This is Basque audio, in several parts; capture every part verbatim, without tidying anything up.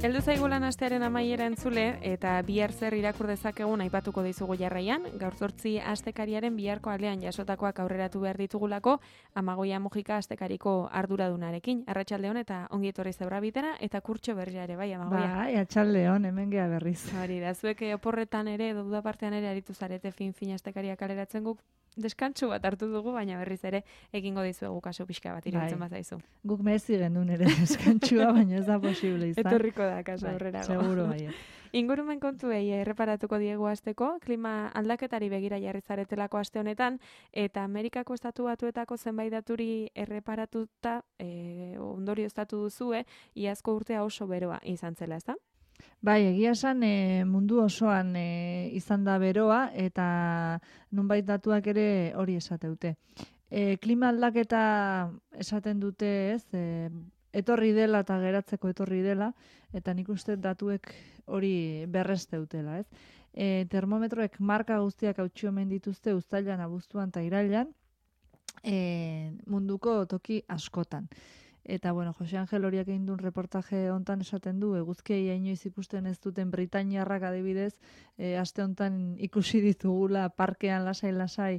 Heldu zaigu lan astearen amaiera entzule eta bihar zer irakur dezakegun aipatuko dizugu jarraian. Gaur zortzi astekariaren biharko alean jasotakoak aurreratu behar ditugulako Amagoia Mujika astekariko arduradunarekin. Arratsaldeon eta ongi etorri Zebra bitera eta kurtxo berria ere bai Amagoia. Bai, atxaldeon, hemen gea berriz. Hori da, zuek oporretan ere edo duda partean ere aritu zarete fin-fin astekariak kaleratzen guk deskantsu bat hartu dugu, baina berriz ere egingo dizuegu kaso pixka bat iruditzen bai. bazaizu. Guk merezi genuen ere deskantsua, baina ez da posible izan. Etorriko da kaso bai, aurrerago. seguro bai. Ingurumen kontuei erreparatuko diegu hasteko, klima aldaketari begira jarri zaretelako aste honetan, eta Amerikako estatu batuetako zenbait daturi erreparatuta e, ondorioztatu duzue, iazko urtea oso beroa izan zela, ezta? Bai, egia esan e, mundu osoan e, izan da beroa eta nunbait datuak ere hori esateute. E, klima aldaketa esaten dute, ez, e, etorri dela eta geratzeko etorri dela, eta nik uste datuek hori berresteutela, ez. E, termometroek marka guztiak hautsi omen dituzte uztailan, abuztuan eta irailan, e, munduko toki askotan. Eta, bueno, Jose Angel horiak egin duen reportaje hontan esaten du, eguzkiei inoiz ikusten ez duten Britainiarrak adibidez, e, aste hontan ikusi ditugula parkean lasai-lasai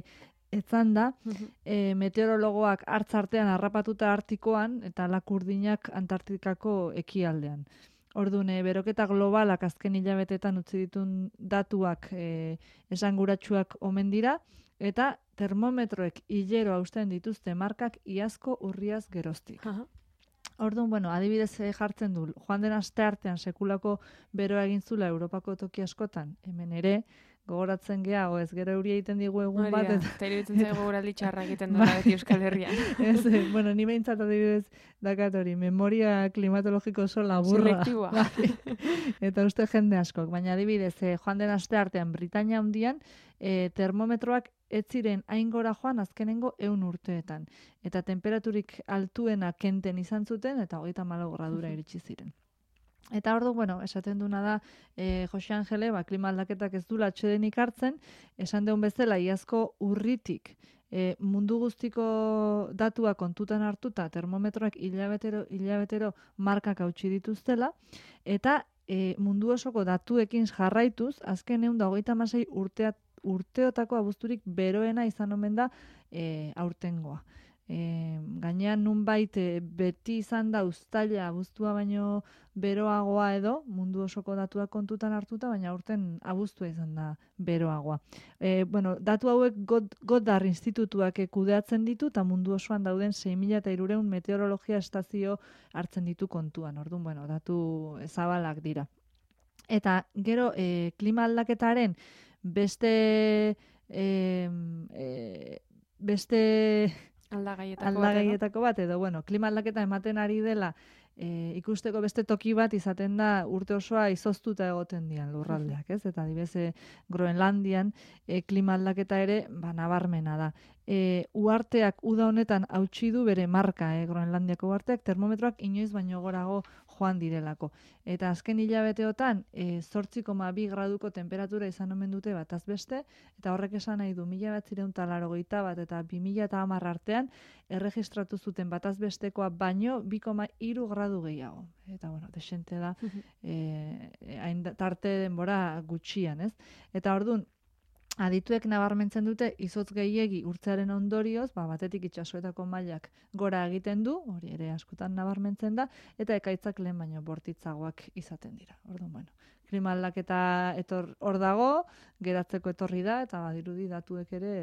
etzan da, e, meteorologoak hartz artean harrapatuta Artikoan eta lakurdinak Antartikako ekialdean. Orduan, e, beroketa globalak azken hilabetetan utzi ditun datuak e, esanguratsuak omen dira, eta termometroek hilero hausten dituzte markak iazko urriaz geroztik. Aha. Orduan, bueno, adibidez jartzen du, joan den aste artean sekulako beroa egin zula Europako toki askotan, hemen ere, gogoratzen gea, o ez gero euria egiten digu egun bat. Eta, eta iruditzen zaigu guraldi txarra egiten duela beti Euskal Herrian. Ez, bueno, ni behintzat adibidez dakat hori, memoria klimatologiko oso laburra. Selektiboa. Eta uste jende askok, baina adibidez, eh, joan den aste artean Britainia handian, eh, termometroak ez ziren hain gora joan azkenengo ehun urteetan. Eta temperaturik altuena kenten izan zuten, eta hogeita hamalau gradura iritsi ziren. Eta ordu, bueno, esaten duna da, e, Jose Angele, ba, klima aldaketak ez dula atsedenik hartzen, esan deun bezala, iazko urritik, e, mundu guztiko datua kontutan hartuta, termometroak hilabetero, hilabetero markak hautsi dituztela, eta e, mundu osoko datuekin jarraituz, azken ehun da hogeita hamasei urtea, urteotako abuzturik beroena izan omen da e, aurtengoa. E, gainean nunbait e, beti izan da uztaila abuztua baino beroagoa edo, mundu osoko datuak kontutan hartuta, baina aurten abuztua izan da beroagoa. E, bueno, datu hauek Goddard institutuak kudeatzen ditu, eta mundu osoan dauden sei mila hirurehun meteorologia estazio hartzen ditu kontuan. Orduan, bueno, datu zabalak dira. Eta gero, e, klima aldaketaren beste e, e, beste Aldagaietako, aldagaietako bat, edo, bueno, klima aldaketa ematen ari dela e, ikusteko beste toki bat izaten da urte osoa izoztuta egoten dian lurraldeak, ez? Eta adibidez e, Groenlandian e, klima aldaketa ere ba, nabarmena da. E, uharteak uda honetan hautsi du bere marka, e, Groenlandiako uharteak termometroak inoiz baino gorago joan direlako. Eta azken hilabeteotan e, zortzi koma bi graduko temperatura izan omen dute bataz beste, eta horrek esan nahi du mila bederatziehun eta laurogeita bat eta bi mila hamar artean erregistratu zuten bataz bestekoa baino bi koma hiru gradu gehiago. Eta, bueno, desente da, e, hain tarte denbora gutxian, ez? Eta orduan, adituek nabarmentzen dute izotz gehiegi urtzearen ondorioz, ba, batetik itsasoetako mailak gora egiten du, hori ere askotan nabarmentzen da, eta ekaitzak lehen baino bortitzagoak izaten dira. Orduan, bueno, klima aldaketa etor hor dago, geratzeko etorri da, eta badirudi datuek ere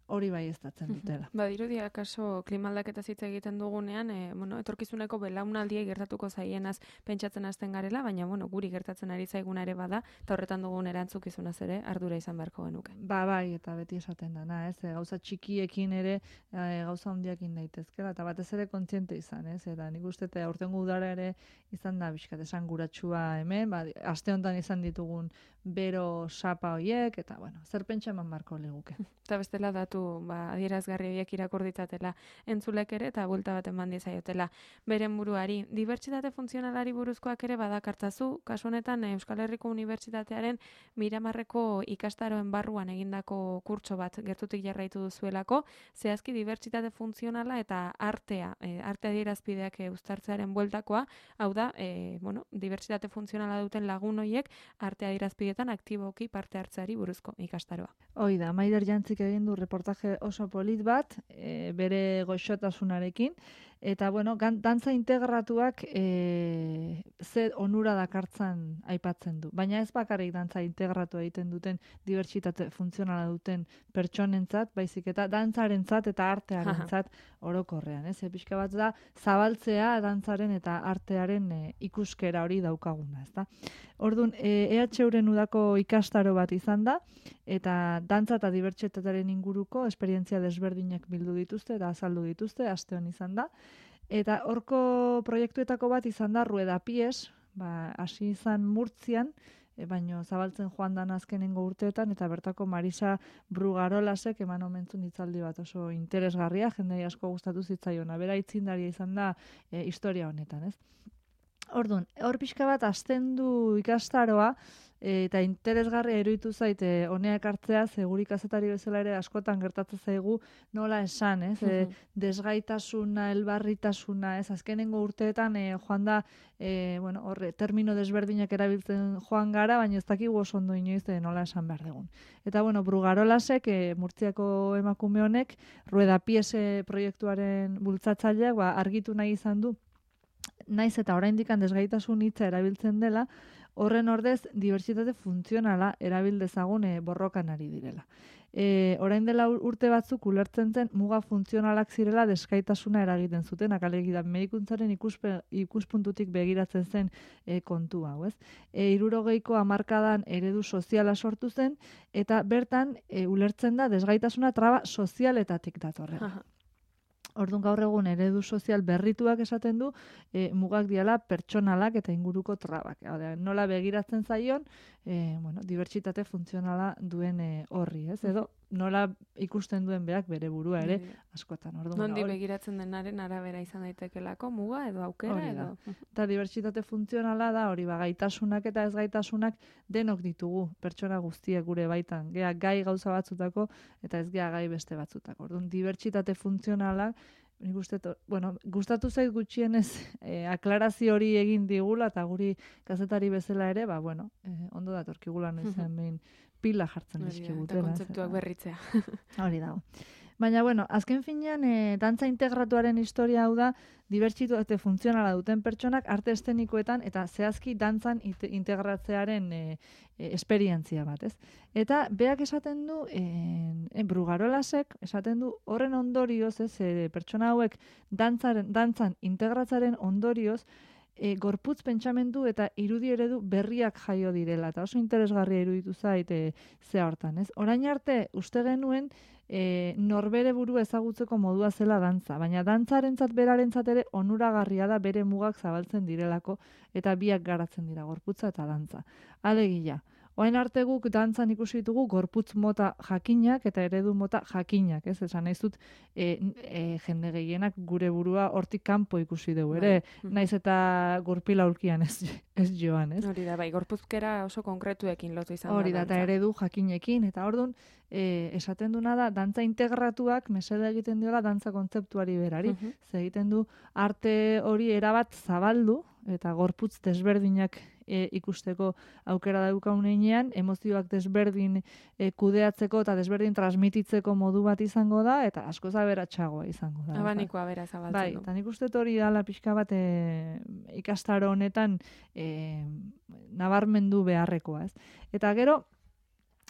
hori bai estatzen dutela. Badirudi akaso klima aldaketa hitz egiten dugunean, e, bueno, etorkizuneko belaunaldiei gertatuko zaienaz pentsatzen hasten garela, baina bueno, guri gertatzen ari zaiguna ere bada, eta horretan dugun erantzukizunaz ere ardura izan beharko genuke. Ba, bai, eta beti esaten dana, ez? E, gauza txikiekin ere e, gauza handiakin daitezkela, eta batez ere kontziente izan, ez? Eta nik uste eta aurtengo udara ere izan da bizkat esanguratsua hemen, ba, aste honetan izan ditugun bero sapa hoiek, eta bueno, zer pentsa eman marko liguke. Eta bestela datu kontu ba, adierazgarri horiek irakur ditzatela entzulek ere eta buelta bat eman diezaiotela beren buruari. Dibertsitate funtzionalari buruzkoak ere badakartzazu, kasu honetan Euskal Herriko Unibertsitatearen Miramarreko ikastaroen barruan egindako kurtso bat gertutik jarraitu duzuelako, zehazki dibertsitate funtzionala eta artea, e, arte adierazpideak e, uztartzearen bueltakoa, hau da, e, bueno, dibertsitate funtzionala duten lagun hoiek arte adierazpidetan aktiboki parte hartzeari buruzko ikastaroa. Hoi da, Maider Jantzik egin du reportaje oso polit bat, e, bere goxotasunarekin, eta bueno, dantza integratuak e, ze onura dakartzan aipatzen du. Baina ez bakarrik dantza integratu egiten duten dibertsitate funtzionala duten pertsonentzat, baizik eta dantzarentzat eta artearentzat orokorrean. Ez? E, pixka bat da, zabaltzea dantzaren eta artearen e, ikuskera hori daukaguna. Ezta? Orduan, e, E H Uren udako ikastaro bat izan da, eta dantza eta dibertsitatearen inguruko esperientzia desberdinak bildu dituzte eta azaldu dituzte, aste hon izan da. Eta horko proiektuetako bat izan da Rueda Pies, ba, hasi izan Murtzian, e, baino zabaltzen joan dan azkenengo urteetan, eta bertako Marisa Brugarolasek eman omentzun hitzaldi bat oso interesgarria, jendei asko gustatu zitzaiona, bera itzindaria izan da e, historia honetan, ez? Orduan, hor pixka bat hasten du ikastaroa, e, eta interesgarria iruditu zaite honeak hartzea, ze guri kazetari bezala ere askotan gertatzen zaigu nola esan, ez? E, desgaitasuna, elbarritasuna, ez? Azkenengo urteetan e, joan da, e, bueno, horre, termino desberdinak erabiltzen joan gara, baina ez dakigu oso ondo inoiz e, nola esan behar dugun. Eta, bueno, Brugarolasek, e, Murtziako emakume honek, Rueda Piese proiektuaren bultzatzaileak, ba, argitu nahi izan du, naiz eta oraindik desgaitasun hitza erabiltzen dela, horren ordez dibertsitate funtzionala erabil dezagun e, borrokan ari direla. E, orain dela urte batzuk ulertzen zen muga funtzionalak zirela desgaitasuna eragiten zuten, alegia medikuntzaren ikuspe, ikuspuntutik begiratzen zen e, kontu hau, ez? E, hirurogeiko hamarkadan eredu soziala sortu zen, eta bertan e, ulertzen da desgaitasuna traba sozialetatik datorrela. Orduan gaur egun eredu sozial berrituak esaten du, e, mugak diala pertsonalak eta inguruko trabak. Haude, nola begiratzen zaion, e, bueno, dibertsitate funtzionala duen e, horri, ez? Edo nola ikusten duen beak bere burua ere askotan. Orduan, Nondi begiratzen denaren arabera izan daitekelako muga edo aukera edo. Eta dibertsitate funtzionala da hori, ba, gaitasunak eta ez gaitasunak denok ditugu pertsona guztiek gure baitan. Gea gai gauza batzutako eta ez gea gai beste batzutako. Orduan, dibertsitate funtzionalak nik uste, bueno, gustatu zait gutxienez eh, aklarazio hori egin digula eta guri kazetari bezala ere, ba, bueno, eh, ondo datorkigula noizen behin pila jartzen dizkigutela. Eta kontzeptuak berritzea. Hori dago. Baina, bueno, azken finean, e, dantza integratuaren historia hau da, dibertsitate funtzionala duten pertsonak arte eszenikoetan eta zehazki dantzan integratzearen e, e, esperientzia bat, ez? Eta beak esaten du, e, e, Brugarolasek esaten du, horren ondorioz, ez, e, pertsona hauek dantzaren, dantzan integratzaren ondorioz, E, gorputz pentsamendu eta irudi eredu berriak jaio direla, eta oso interesgarria iruditu zait e, ze hortan, ez? Orain arte, uste genuen, e, norbere buru ezagutzeko modua zela dantza, baina dantzarentzat berarentzat ere onuragarria da bere mugak zabaltzen direlako, eta biak garatzen dira, gorputza eta dantza. Alegia, orain arte guk dantzan ikusi ditugu gorputz mota jakinak eta eredu mota jakinak, ez? Esan nahiz dut, e, e, jende gehienak gure burua hortik kanpo ikusi dugu, ere, naiz eta gurpila aurkian ez, ez joan, ez? Hori da, bai, gorpuzkera oso konkretuekin lotu izan da. Hori da, eta eredu jakinekin, eta orduan, e, esaten duna da, dantza integratuak mesede egiten diola dantza kontzeptuari berari, uh-huh. Ze egiten du arte hori erabat zabaldu, eta gorputz desberdinak e, ikusteko aukera daukagun heinean, emozioak desberdin e, kudeatzeko eta desberdin transmititzeko modu bat izango da, eta askoz aberatsagoa izango da. Abaniko abera zabaltzen bai, du. Eta nik uste hori dala pixka bat e, ikastaro honetan e, nabarmendu beharrekoa, ez? Eta gero,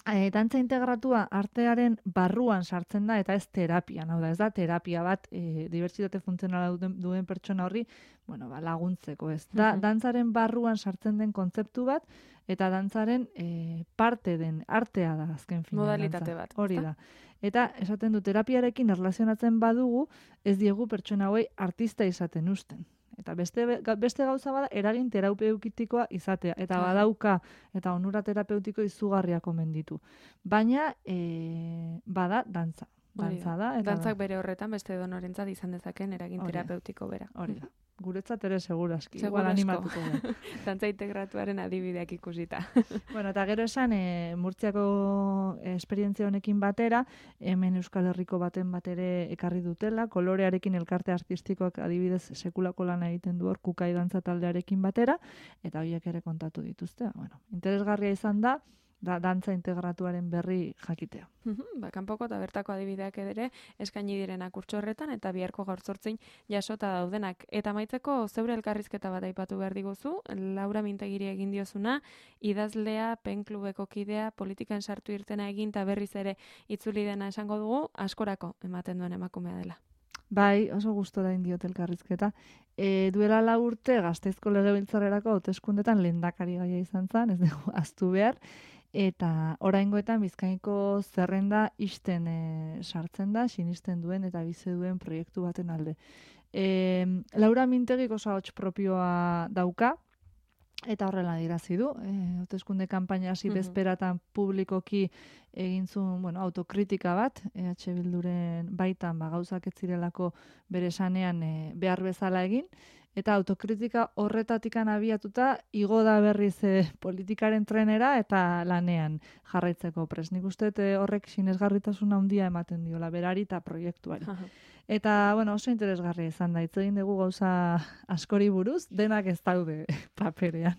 E, dantza integratua artearen barruan sartzen da eta ez terapian, hau da, ez da terapia bat e, dibertsitate funtzionala duen, duen pertsona horri, bueno, ba, laguntzeko, ez da, uh-huh. Dantzaren barruan sartzen den kontzeptu bat eta dantzaren e, parte den artea da azken finean. Modalitate bat. Hori da. Eta esaten du terapiarekin erlazionatzen badugu, ez diegu pertsona hauei artista izaten usten. Eta beste, beste gauza bada eragin terapeutikoa izatea. Eta badauka, eta onura terapeutiko izugarriak omen ditu. Baina, e, bada, dantza. dantza da. Eta dantzak bere horretan beste edonorentzat izan dezaken eragin Hori da. terapeutiko bera. Hori da. Guretzat ere seguraski, Seguru igual asko. animatuko da. Dantza integratuaren adibideak ikusita. Bueno, eta gero esan, e, Murtziako esperientzia honekin batera, hemen Euskal Herriko baten bat ere ekarri dutela, kolorearekin elkarte artistikoak adibidez sekulako lana egiten du hor kukai dantza taldearekin batera, eta horiek ere kontatu dituzte. Bueno, interesgarria izan da, da dantza integratuaren berri jakitea. Ba, kanpoko eta bertako adibideak ere eskaini direnak urtso horretan eta biharko gaur zortzin jasota daudenak. Eta amaitzeko zeure elkarrizketa bat aipatu behar diguzu, Laura Mintegiri egin diozuna, idazlea, penklubeko kidea, politikan sartu irtena egin eta berriz ere itzuli dena esango dugu, askorako ematen duen emakumea dela. Bai, oso gustora indiot elkarrizketa. E, duela lau urte Gasteizko Legebiltzarrerako hauteskundetan lehendakari gaia izan zen, ez dugu ahaztu behar, eta oraingoetan Bizkaiko zerrenda isten e, sartzen da, sinisten duen eta bizi duen proiektu baten alde. E, Laura Mintegik oso ahots propioa dauka, eta horrela dirazi du. E, hauteskunde kanpaina hasi bezperatan publikoki egin zuen, bueno, autokritika bat, E H Bilduren baitan ba, gauzak ez zirelako bere sanean e, behar bezala egin, eta autokritika horretatikan abiatuta igo da berriz e, politikaren trenera eta lanean jarraitzeko prest. Nik uste e, horrek sinesgarritasuna handia ematen diola berari eta proiektuari. Eta, bueno, oso interesgarria izan da, hitz egin dugu gauza askori buruz, denak ez daude paperean.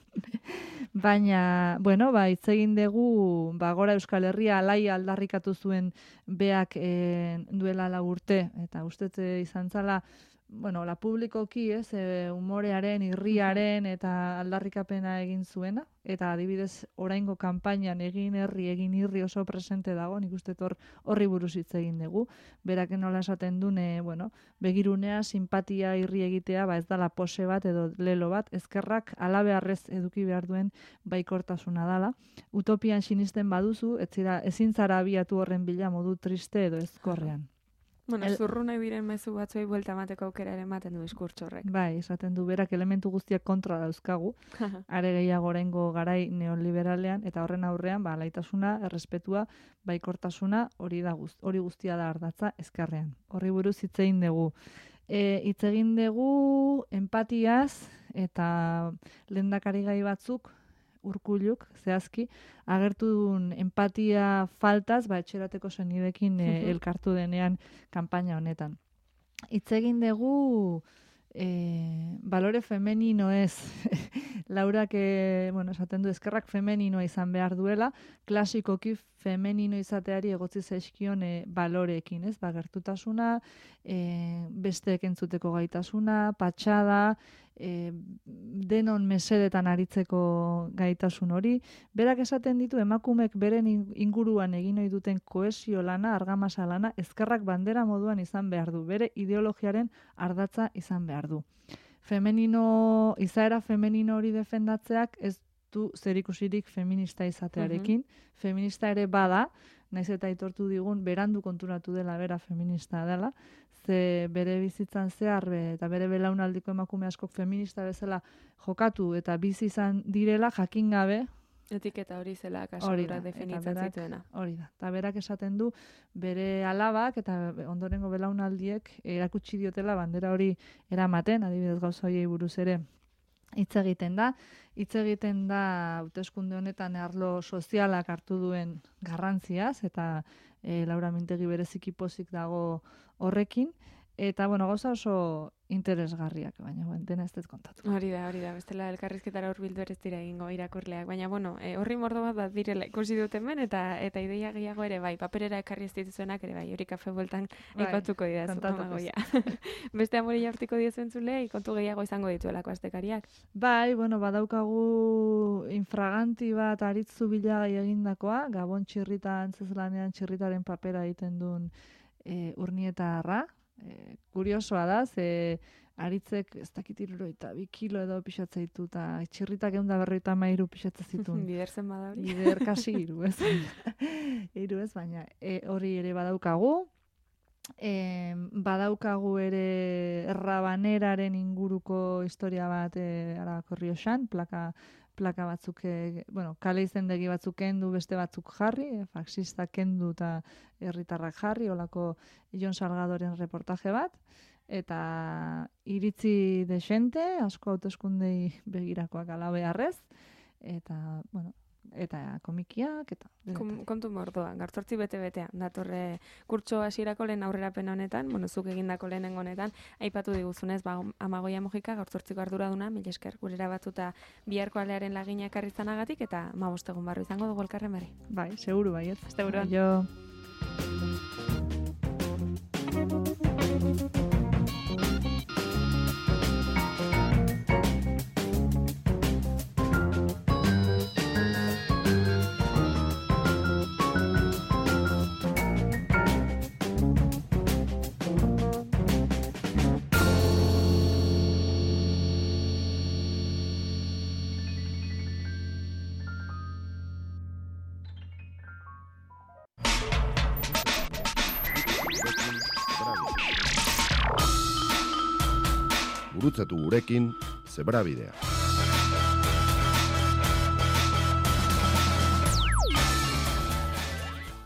Baina, bueno, ba, hitz egin dugu, ba, Gora Euskal Herria alai aldarrikatu zuen beak e, duela lau urte, eta ustez izan zala, bueno, la publikoki, ez, e, umorearen, irriaren eta aldarrikapena egin zuena, eta adibidez oraingo kanpainan egin herri, egin irri oso presente dago, nik uste hor horri buruz hitz egin dugu. Berak nola esaten dune, bueno, begirunea, simpatia, irri egitea, ba ez dala pose bat edo lelo bat, ezkerrak alabeharrez eduki behar duen baikortasuna dala. Utopian sinisten baduzu, ez zira, ezin zara abiatu horren bila modu triste edo ezkorrean. Bueno, El... zurru nahi diren mezu batzuei buelta emateko aukera ere ematen du diskurtso horrek. Bai, esaten du berak elementu guztiak kontra dauzkagu, are gehiago oraingo garai neoliberalean, eta horren aurrean, ba, laitasuna, errespetua, baikortasuna, hori da guzt, hori guztia da ardatza ezkerrean. Horri buruz hitz egin dugu. E, hitz egin dugu empatiaz eta lehendakari gai batzuk, Urkulluk, zehazki, agertu duen empatia faltaz, ba, etxerateko senidekin e, elkartu denean kanpaina honetan. Hitz egin dugu e, balore femenino ez, Laurak, e, bueno, esaten du eskerrak femeninoa izan behar duela, klasikoki femenino izateari egotzi zaizkion e, baloreekin, ez? Ba, gertutasuna, e, besteek entzuteko gaitasuna, patxada, E, denon mesedetan aritzeko gaitasun hori. Berak esaten ditu emakumek beren inguruan egin ohi duten kohesio lana, argamasa lana, ezkerrak bandera moduan izan behar du. Bere ideologiaren ardatza izan behar du. Femenino, izaera femenino hori defendatzeak ez du zerikusirik feminista izatearekin. Uh-huh. Feminista ere bada, naiz eta aitortu digun, berandu konturatu dela bera feminista dela, ze bere bizitzan zehar eta bere belaunaldiko emakume askok feminista bezala jokatu eta bizi izan direla jakin gabe. Etiketa hori zela kasura definitzen zituena. Hori da. Eta berak esaten du bere alabak eta ondorengo belaunaldiek erakutsi diotela bandera hori eramaten, adibidez gauza horiei buruz ere hitz egiten da. Hitz egiten da hauteskunde honetan arlo sozialak hartu duen garrantziaz eta e, Laura Mintegi bereziki pozik dago horrekin. Eta, bueno, gauza oso interesgarriak, baina bueno, dena ez dut kontatu. Hori da, hori da, bestela elkarrizketara hurbildu ere ez dira egingo irakurleak, baina bueno, e, horri mordo bat bat direla ikusi dut hemen eta eta ideia gehiago ere bai, paperera ekarri ez dituzuenak ere bai, hori kafe bueltan bai, aipatuko didazu, amagoia. Beste amori jaurtiko diezentzulei, kontu gehiago izango dituelako astekariak. Bai, bueno, badaukagu infraganti bat aritzu bilagai egindakoa, Gabon txirrita antzezlanean txirritaren papera egiten duen e, urnietarra. E, kuriosoa da, ze aritzek ez dakit hirurogeita bi kilo edo pixatza ditu, eta txirritak ehun eta berrogeita hamairu pixatza zituen. Bider zen bada hori? Bider kasi hiru, ez? Hiru ez, baina e, hori ere badaukagu. E, badaukagu ere Rabaneraren inguruko historia bat e, Arabako Errioxan, plaka, plaka batzuk, e, bueno, kale izendegi batzuk kendu, beste batzuk jarri, e, faxista kendu eta herritarrak jarri, olako Jon Salgadoren reportaje bat, eta iritzi desente, asko hauteskundei begirakoak ala beharrez, eta, bueno, eta komikiak, eta... Kom, kontu mordoa, gartzortzi bete-betea, datorre kurtso hasierako lehen aurrerapen honetan, bueno, zuk egindako lehenengo honetan, aipatu diguzunez, ba, Amagoia Mojika, gartzortziko arduraduna, mila esker, gurera batuta biharko alearen lagina ekarri zanagatik, eta ma bostegun barru izango dugu elkarren bari. Bai, seguru bai, ez? Asteburuan. Jo. Gurutzatu gurekin Zebrabidea.